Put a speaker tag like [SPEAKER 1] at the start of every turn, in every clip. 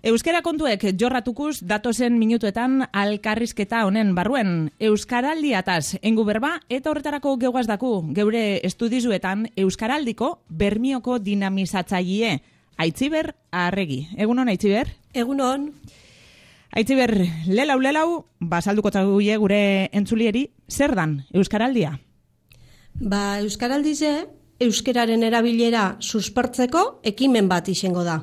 [SPEAKER 1] Euskara kontuek jorratukuz datozen minutuetan alkarrizketa honen barruen. Euskaraldiataz engu berba eta horretarako geugaz daku geure estudizuetan Euskaraldiko bermioko dinamizatzaile Aitziber Arregi. Egunon, Aitziber?
[SPEAKER 2] Egunon.
[SPEAKER 1] Aitziber, lelau, basalduko txaguie gure entzulieri, zer dan Euskaraldia?
[SPEAKER 2] Euskaraldize, euskararen erabilera suspertzeko ekimen bat izango da.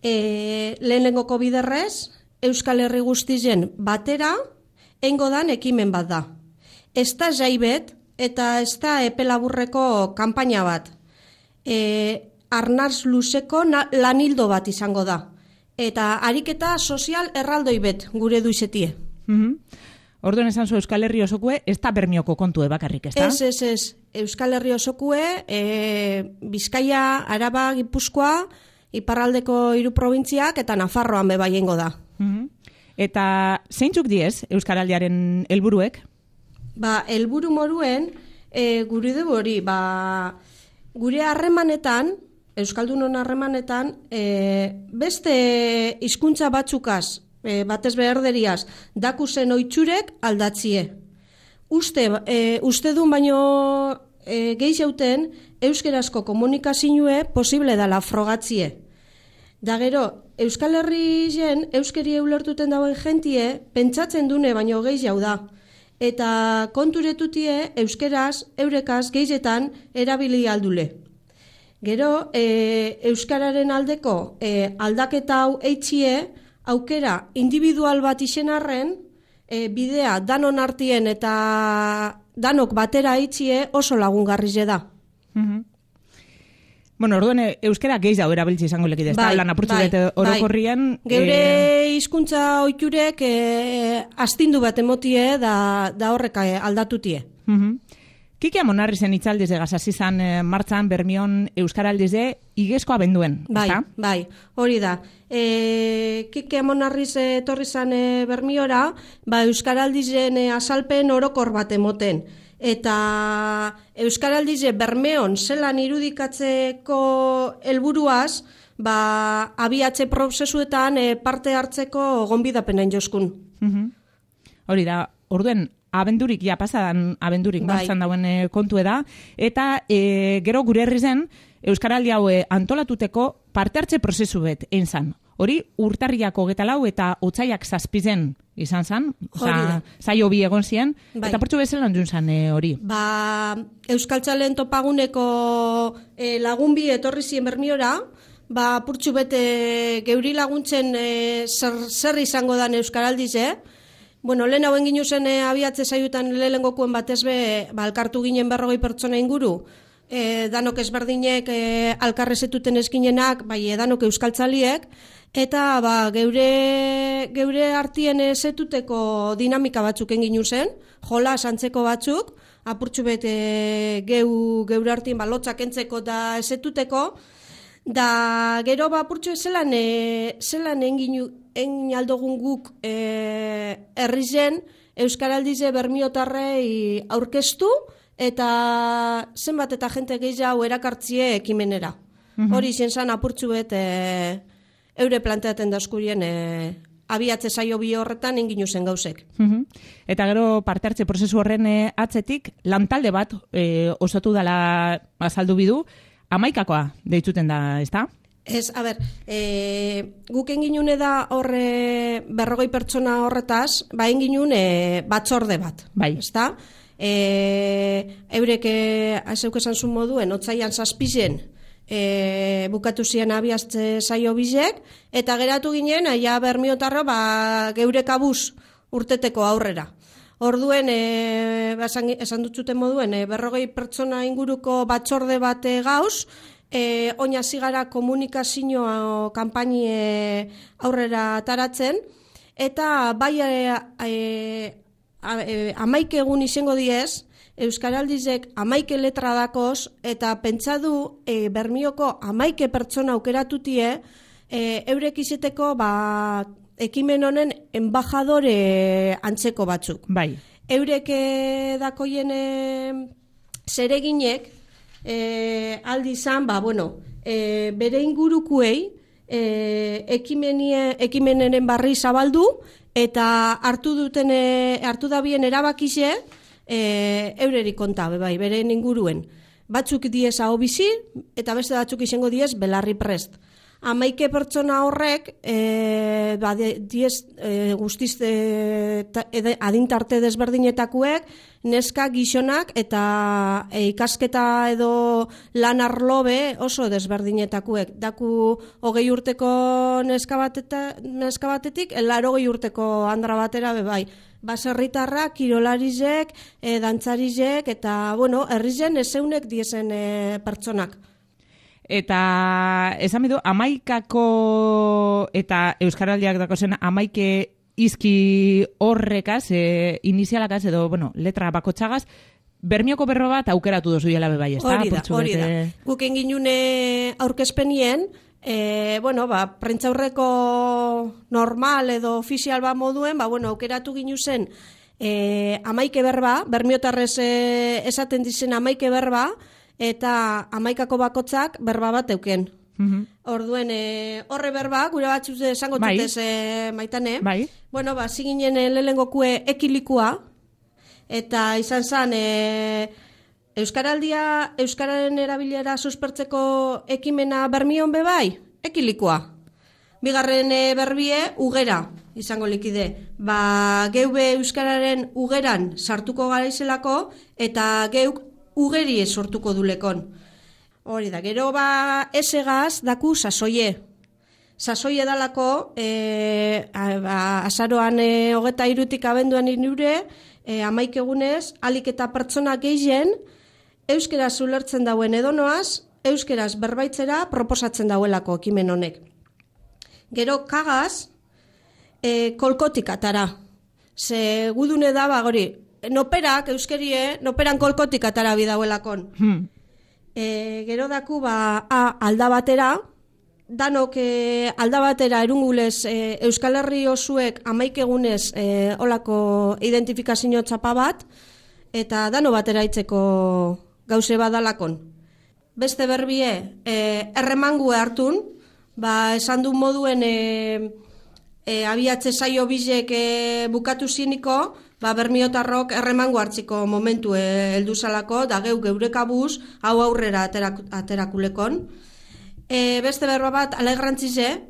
[SPEAKER 2] Lehenengoko biderrez, Euskal Herri guztizen batera, eingo dan ekimen bat da. Ez da jaibet eta ez da epelaburreko kanpaina bat. Arnaz luzeko lanildo bat izango da. Eta ariketa sozial erraldoi bet gure duizetie.
[SPEAKER 1] Orduan esan zu Euskal Herri osokue, ez da bermioko kontue bakarrik, ez da?
[SPEAKER 2] Ez. Euskal Herri osokue, Bizkaia, Araba, Gipuzkoa, iparraldeko 3 probintziak eta Nafarroan bebaiengo da.
[SPEAKER 1] Eta zeintzuk diez Euskaraldiaren helburuek?
[SPEAKER 2] Helburu moruen, gure dugu hori, gure harremanetan, Euskaldunon harremanetan, beste hizkuntza batzukaz, batez beherderiaz, dakuzen oitxurek aldatzie. Uste duen baino gehiagoten, euskerazko komunikazioe posible dala frogatzie. Da gero, Euskal Herri jen, euskeri ulertuten dauen jentie, pentsatzen dune baino gehiago da. Eta konturetutie, euskeraz, eurekaz, gehietan, erabili aldule. Gero, euskararen aldeko aldaketa hau eitxie, aukera individual bat izen arren, bidea danon artien eta danok batera eitxie oso lagungarri da.
[SPEAKER 1] Bueno, orduan euskara gehiago erabiltzi izango lekide, ez da? Lan apurtzu bete orokorrian.
[SPEAKER 2] Geure hizkuntza oiturek astindu bat emotie da horrek aldatutie.
[SPEAKER 1] Kike Amonarrizen itzaldize gazazizan martzan Bermion Euskaraldize igezkoa benduen, ezta?
[SPEAKER 2] Bai, hori da. Kike Amonarriz etorri zan Bermiora, Euskaraldizen azalpen orokor bat emoten. Eta Euskaraldize Bermeon zelan irudikatzeko helburuaz, abiatze prozesuetan parte hartzeko gonbidapena joskun.
[SPEAKER 1] Hori da, orduen abendurik, pasadan abendurik martzan dauen kontue da, eta gero gure herri zen Euskaraldi hau antolatuteko parte hartze prozesu bet egin zan. Hori urtarriak 24 eta otsaiak 7 izan zan, zaio bi egon ziren, eta portzu bezala ondun zan hori.
[SPEAKER 2] Euskaltzalen topaguneko lagun bi etorri ziren Bermiora, purtsu bete geuri laguntzen zer izango dan Euskaraldize. Bueno, lehen hauen ginu zen abiatze zaiutan lehengokoen batez alkartu ginen 40 pertsona inguru, danok ezberdinek alkarrezetuten eskinenak, danok euskaltzaliek, eta geure artien zetuteko dinamika batzuk enginu zen, jola santzeko batzuk, apurtxu bete geure artien lotzak entzeko da ezetuteko, da gero apurtxu zelan enginu aldogun guk herri zen Euskaraldize Bermiotarrei aurkeztu eta zenbat eta jente gehiago erakartzie ekimenera. Hori izan zan apurtxu bet eure planteaten daskurien abiatze saio bi horretan enginu zen gauzek.
[SPEAKER 1] Eta gero parte hartze prozesu horren atzetik lantalde bat osatu dela azaldu bidu, 11koa deitzuten da, ezta?
[SPEAKER 2] Ez, guk enginune da horre 40 pertsona horretaz, enginun batzorde bat, ezta? Eurek azeuk esan zuen moduen, otsaian 7 bukatu ziren abiazte saio bizek, eta geratu ginen, Bermiotarro, geure kabuz urteteko aurrera. Orduen, esan dutzuten moduen, 40 pertsona inguruko batzorde bat gauz, oina zigara komunikazio kanpaini aurrera taratzen, eta 11 egun izango diez, Euskaraldizek 11 letra dakoz, eta pentsadu Bermioko 11 pertsona aukeratutie, eurek izeteko ekimen honen embajadore antzeko batzuk. Eurek dakoien zereginek aldi izan, bere ingurukuei ekimenenen barri zabaldu, eta hartu dabien erabakize, eureri konta, bai, bere inguruen. Batzuk diez hau bizi, eta beste batzuk izango diez belarri prest. 11 pertsona horrek, guztiz adintarte desberdinetakuek, neska gizonak eta ikasketa edo lan arlobe oso desberdinetakuek. Daku 20 urteko neska batetik, 80 urteko andra batera bai. Baserritarrak, kirolarizek, dantzarizek, eta, herrizen ezeunek diezen pertsonak.
[SPEAKER 1] Eta, esan bidu, 11 eta Euskaraldiak dako zen 11 izki horrekaz, inizialakaz, edo, letra bakotxagaz, Bermioko berro bat aukeratu dozu jela bebai, ez da?
[SPEAKER 2] Hori da. Guk engin aurkezpenien, prentzaurreko normal edo ofizial bat moduen, aukeratu ginu zen 11 berba, bermiotarrez esaten dizen 11 berba, eta 11ko bakotzak berba bat euken. Orduen, horre berba, gure batzuz esango tutez maitane.
[SPEAKER 1] Bai.
[SPEAKER 2] Ziginen lehengokue ekilikua, eta izan zen, Euskararen erabilera suspertzeko ekimena bermion bebai, ekilikua. Bigarren berbie, ugera, izango likide. Geube Euskararen ugeran sartuko garaizelako, eta geuk ugeri sortuko dulekon. Hori da, gero esegaz daku sasoie. Sasoie dalako, azaroan 23 abenduan inure, 11 egunez, alik eta pertsona gehien, euskeraz ulertzen dauen edonoaz, euskeraz berbaitzera proposatzen dauelako ekimen honek. Gero kagaz, kolkotik atara. Ze gudune da, gori, noperak, euskerie, noperan kolkotik atara bidauelakon. Gero daku, aldabatera, danok aldabatera erungulez Euskal Herri osuek 11 egunez olako identifikazio txapa bat, eta dano batera itzeko gauze badalakon. Beste berbie, erremangue hartun, esan du moduen abiatze saio bizek bukatu ziniko, bermiotarrok erremango hartziko momentu heldu zalako, da geurekabuz hau aurrera aterakulekon. Beste berba bat, alegrantzize,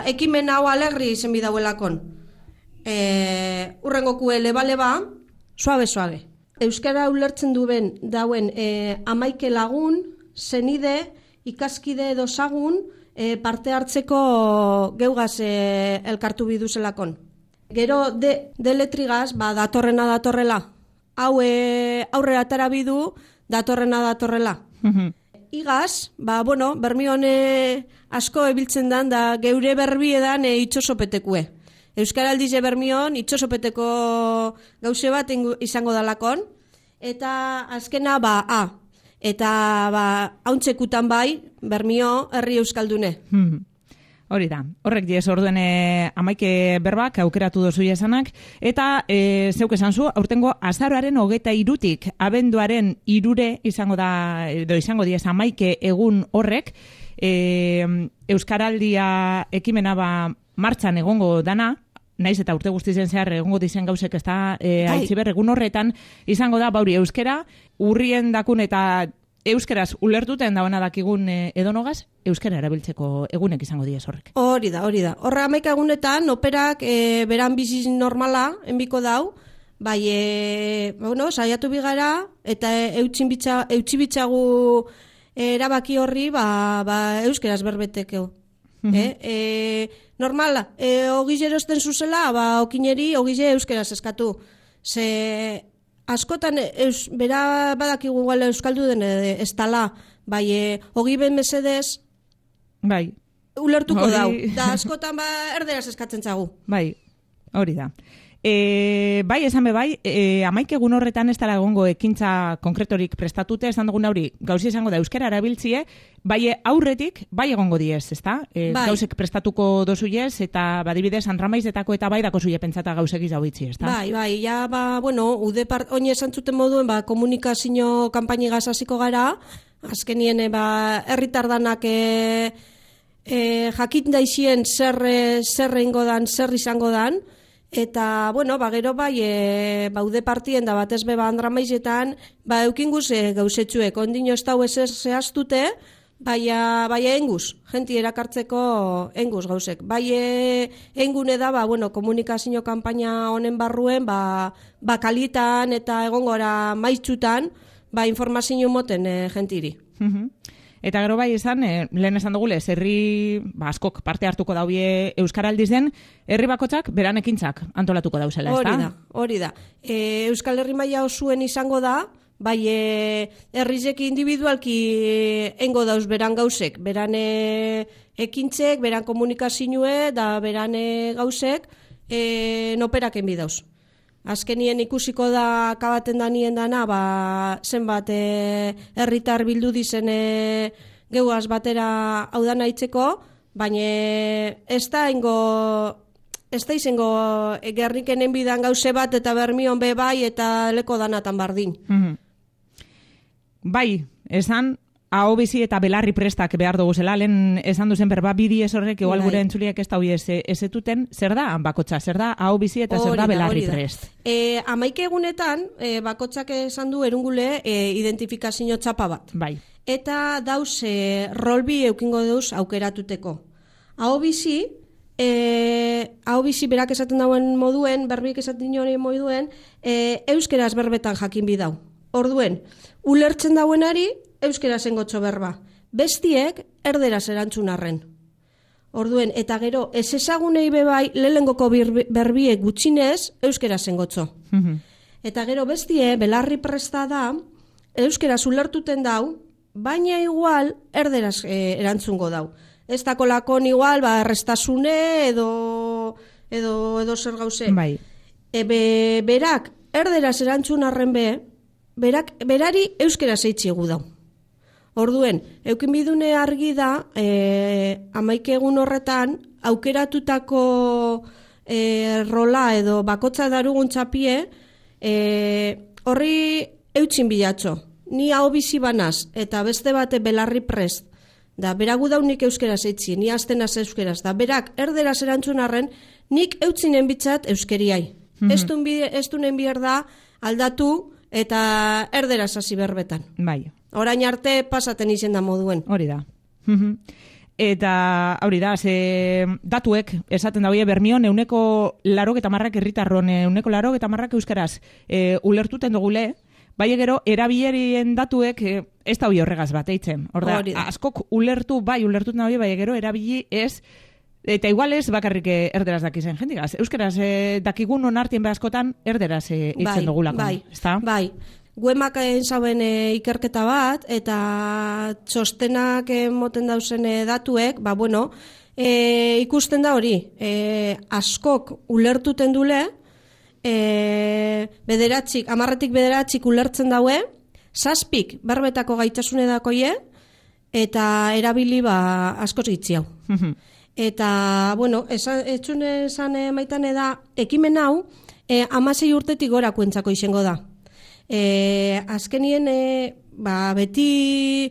[SPEAKER 2] ekimen hau alegri izen bidauelakon. Urrengokue leba-leba, suabe-suabe. Euskara ulertzen dauen 11 lagun, zenide, ikaskide edo zagun, parte hartzeko geugaz elkartu biduzelakon. Gero deletrigaz, datorrela. Hau aurrera atara bidu, datorrela. Igaz, bermion asko ebiltzen dan, da geure berbiedan itxosopetekue. Euskaraldize bermion itxosopeteko gauze bat izango dalakon, eta azkena eta hauntzekutan bai, bermio herri euskaldune.
[SPEAKER 1] Hori da, horrek diez orduen 11 berbak aukeratu dozu esanak, eta zeuk esan zu, aurtengo azaroaren 23tik abenduaren 3 izango da, edo izango diez 11 egun horrek, Euskaraldia ekimena martxan egongo dana, naiz eta urte guztizen zehar egongo dizen gauzek ez da, aitziber egun horretan izango da, euskera, urrien dakun eta euskeraz ulertuten dagoena dakigun edonogaz, euskera erabiltzeko egunek izango diez horrek.
[SPEAKER 2] Hori da. Horra 11 egunetan, operak beran biziz normala, enbiko dau, saiatu bigara, eta eutxibitzagu erabaki horri, euskeraz berbetekeo. Normala, ogizero esten zuzela, okineri ogize euskeraz eskatu. Ze askotan bera badakigu gala euskaldu den ez tala, ogi ben mesedez, ulertuko dau. Da askotan erderaz eskatzen zagu.
[SPEAKER 1] Hori da. Esan 11 egun horretan ez dara egongo ekintza konkretorik prestatute, esan dugun hori gauzi izango da euskara erabiltzie, aurretik, egongo diez, ezta? Gauzek prestatuko dozuiez, eta badibidez, Andramaizetako eta dako zuie pentsata gauzek izau itzi, ezta?
[SPEAKER 2] Ude oin esan zuten moduen, komunikazio kanpainigaz hasiko gara, azkenien herritardanak jakin daizien zer egingo dan, zer izango dan, eta, bueno, gero baude partien da batez beba Andramaizetan, eukinguz gauzetxuek, ondino ez dau zehaztute, baina enguz, jenti erakartzeko enguz gauzek. Engune da, komunikazio kanpaina honen barruen, kalitan eta egongora maitzutan, informazio moten jentiri.
[SPEAKER 1] Eta gero bai esan, lehen esan dugulez, herri askok parte hartuko daubie Euskaraldiz den, herri bakotzak beran ekintzak antolatuko dauzela, ezta?
[SPEAKER 2] Hori da. Euskal Herri maila osuen izango da, herrizek individualki engo dauz beran gauzek, beran ekintzek, beran komunikazioe, da beran gauzek, noperaken bidauz. Azkenien ikusiko da kabaten danien dana, zenbat herritar bildu dizen geuaz batera hau dana itzeko, baina ez da izango gerrikenen bidan gauze bat eta bermion be bai eta leko danatan bardin.
[SPEAKER 1] Bai, esan aho bizi eta belarri prestak behar dugu zela, lehen esan duzen berba bidi ez horrek, igual gure entzuliak ez da hoi ezetuten, zer da bakotxa, zer da aho bizi eta zer da belarri prest?
[SPEAKER 2] Amaike egunetan, bakotxak esan du erungule identifikazio txapa bat.
[SPEAKER 1] Bai.
[SPEAKER 2] Eta dauz rolbi eukingo dauz aukeratuteko. Aho bizi berak esaten dauen moduen, berbik esaten hori moduen, euskeraz berbetan jakin bidau. Orduen, ulertzen dauenari, euskera zengotxo berba. Bestiek, erderaz erantzun arren. Orduen, eta gero, ez ezagunei bebai, lehengoko berbiek gutxinez, euskera zengotxo. Eta gero, bestie, belarri presta da, euskera ulertuten dau, baina igual, erderaz erantzungo dau. Ez dako lakon igual, errestasune, edo zer gauze.
[SPEAKER 1] Bai.
[SPEAKER 2] Berak, erderaz erantzun arren berari euskera zeitziegu dau. Orduen, eukin bidune argi da, 11 egun horretan, aukeratutako rola edo bakotza darugun txapie, horri eutxin bilatxo. Ni hau bizi banaz, eta beste bate belarri prest, da beragu daunik euskera zeitzi, ni aztenaz euskeraz, da berak erderaz erantzun arren, nik eutzinen bitzat euskeriai. Ez duen bihar da aldatu eta erderaz hasi berbetan.
[SPEAKER 1] Bai.
[SPEAKER 2] Orain arte pasaten izen da moduen.
[SPEAKER 1] Hori da. Eta hori da, datuek esaten da, Bermion, 80% herritarron, 80% euskaraz ulertuten dugule, bai gero, erabilerien datuek ez da horregaz bat eitzen. Horda, askok ulertuten da, bai gero, erabili ez, eta igual ez bakarrik erderaz dakizen jendigaz. Euskaraz dakigun onartien behazkotan erderaz eitzen dugulako.
[SPEAKER 2] Bai. Guemak zauen ikerketa bat, eta txostenak moten dauzen datuek, ikusten da hori, askok ulertuten dule, 10-tik ulertzen daue, 7 berbetako gaitasune dakoie, eta erabili askoz gitzi hau. Eta, etxune esan maitane da, ekimen hau, 16 urtetik gorako entzako izango da. Azkenien, beti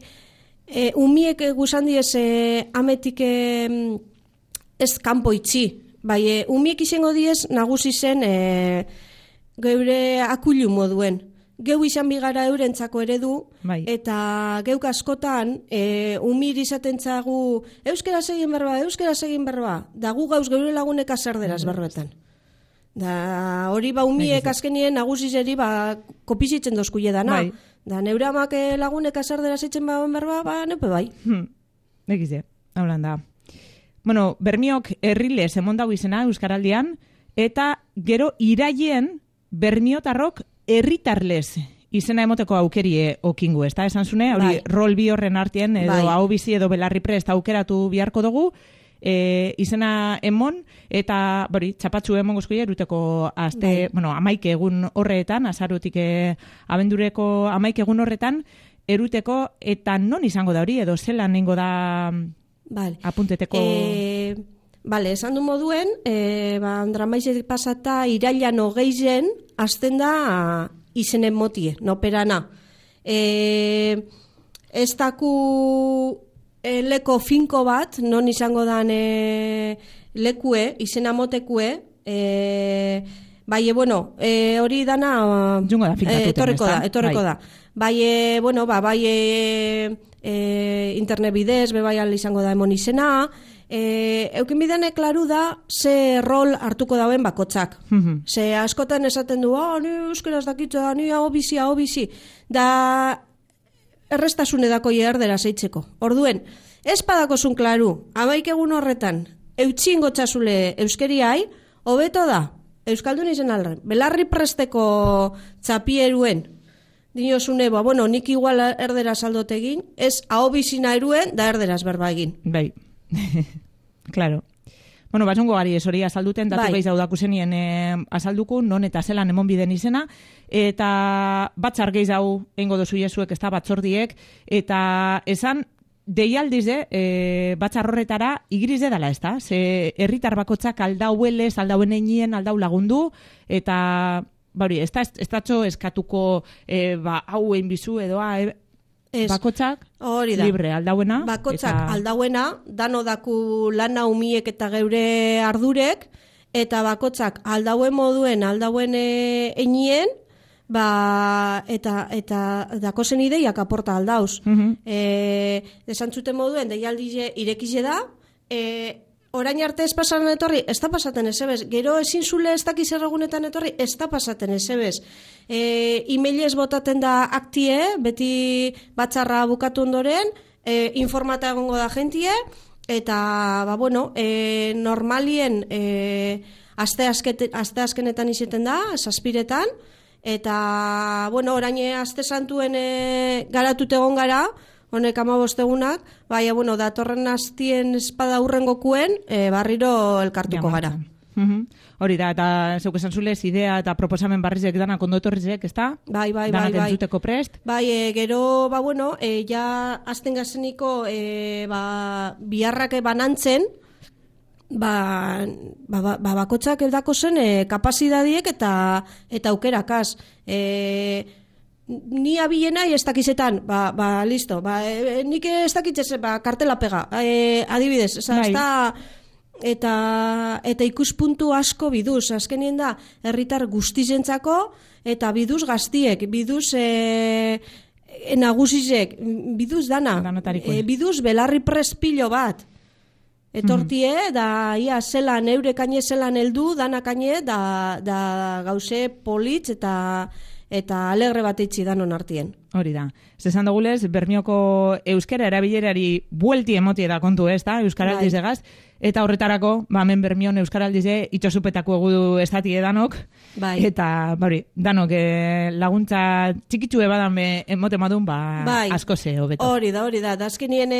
[SPEAKER 2] umiek guzan diez ametik ez kanpo itxi. Umiek izango diez nagusi zen geure akulu moduen. Geu izan bigara eurentzako eredu, eta geuk askotan umir izaten txagu euskaraz egin berba, da gu gauz geure lagunek azerderaz berbetan. Da hori umiek azkenien nagusizeri kopizitzen dozkuie dana. Da neure amak lagunek azerderaz itzen berba, neupe bai.
[SPEAKER 1] Egize, haulan da. Bermiok herrilez emondau izena Euskaraldian, eta gero iraien bermiotarrok herritarlez izena emoteko aukerie okingu, ez da? Esan zune, hori rol bi horren artien, edo hau bizi edo belarri prest aukeratu biharko dugu, izena emon, eta txapatxu emon gozkoia eruteko azte, 11 egun horretan, azarutik abendureko 11 egun horretan, eruteko, eta non izango da hori, edo zelan nengo da apunteteko...
[SPEAKER 2] esan du moduen, Andramaizetik pasata irailan 20 azten da izenen motie, no perana. Ez daku leko finko bat, non izango dan lekue, izena motekue, bai, bueno, hori dana
[SPEAKER 1] jungo da finkatuten,
[SPEAKER 2] etorreko da. Bai, bueno, bai internet bidez, bai izango da emon izena, eukin bidene klaru da ze rol hartuko dauen bakotzak. Ze askotan esaten du, ni euskeraz dakitza da, ni hau bizi, da errestasune dako erderaz eitzeko. Orduen, ez padakozun klaru, amaik egun horretan, eutxin gotxasule euskeriai, hobeto da, euskaldun izen alren, belarri presteko txapieruen, dinosune, bueno, nik igual erderaz aldotegin, ez hau bizina eruen, da erderaz berba egin.
[SPEAKER 1] Bai. Claro. Bueno, basungo gari hori azalduten, datu gehiago dakuzenien azalduku, non eta zelan emon biden izena, eta batzar gehiago eingo dozu jesuek, ez da batzordiek, eta esan, deialdize, batzar horretara igrize dela, ez da? Ze herritar bakotzak aldauelez, aldauen einien, aldau lagundu, eta, bauri, ez da eskatuko, hau egin bizu edoa, bakotzak libre aldauena.
[SPEAKER 2] Bakotzak aldauena, dano daku lana umiek eta geure ardurek, eta bakotzak aldauen moduen, aldauen einien, eta dakozen ideiak aporta aldauz. Esantzuten moduen, deialdize irekize da, orain arte ez pasatzen etorri, ez da pasaten ezebez. Gero ezin zule ez dakiz erragunetan etorri, ez da pasaten ezebez. E-mailez botaten da aktie, beti batzarra bukatu ondoren, informata egongo da jentie, eta, bueno, normalien aste azkenetan izeten da, zazpiretan, eta, bueno, orain aste santuen garatut egon gara, honek 15 egunak, baina, bueno, datorren hastien espada urrengokuen, barriro elkartuko gara.
[SPEAKER 1] Hori da, eta zeuk esan zulez, idea eta proposamen barrizek danak ondo etorrizek, ez da?
[SPEAKER 2] Bai.
[SPEAKER 1] Danak entzuteko prest?
[SPEAKER 2] Bai, gero, bueno, ja azten gazeniko biharrak banantzen, bakotzak eldako zen kapazidadiek eta aukerakaz. Ni abilena ez dakizetan, listo, nik ez dakitzez, kartela pega, adibidez, ez da, eta ikuspuntu asko biduz, azkenien da, herritar guztizentzako, eta biduz gaztiek, biduz nagusizek, biduz dana, biduz belarri prespilo bat, etortie, da ia zelan, eure kaine zelan heldu, dana kaine, da gauze politz eta alegre bat eitzi danon artien.
[SPEAKER 1] Hori da. Zezan dugulez, Bermioko euskera erabilerari buelti emotie da kontu, ez da? Euskaraldiz egaz. Eta horretarako, hemen Bermion euskaraldize itxosupetako egudu estatie danok.
[SPEAKER 2] Bai.
[SPEAKER 1] Eta, danok laguntza txikitsue badan emote madun, asko ze hobeto.
[SPEAKER 2] Hori da. Da azkenien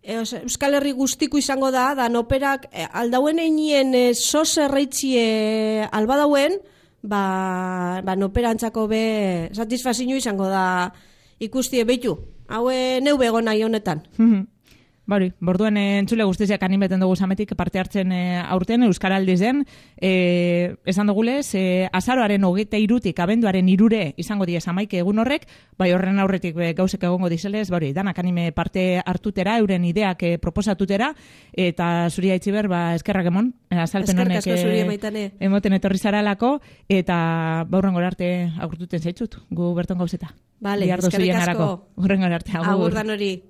[SPEAKER 2] Euskal Herri guztiku izango da noperak aldauen einien sos erreitzie albadauen, noperantzako satisfazio izango da ikustie behitu. Haue neu bego nahi honetan.
[SPEAKER 1] Borduen entzule guztiziak animeten dugu zametik parte hartzen aurten Euskaraldizen. Esan dugulez, azaroaren 23 abenduaren 3 izango diez 11 egun horrek, horren aurretik gauzek egongo dizelez, danak anime parte hartutera, euren ideak proposatutera, eta zuri haitziber, eskerrak emon, azalpen honek emoten etorri zaralako, eta horren arte agurtuten zaitzut, gu berton gauzeta.
[SPEAKER 2] Eskerrik asko.
[SPEAKER 1] Horren arte, agur.
[SPEAKER 2] Agur dan hori.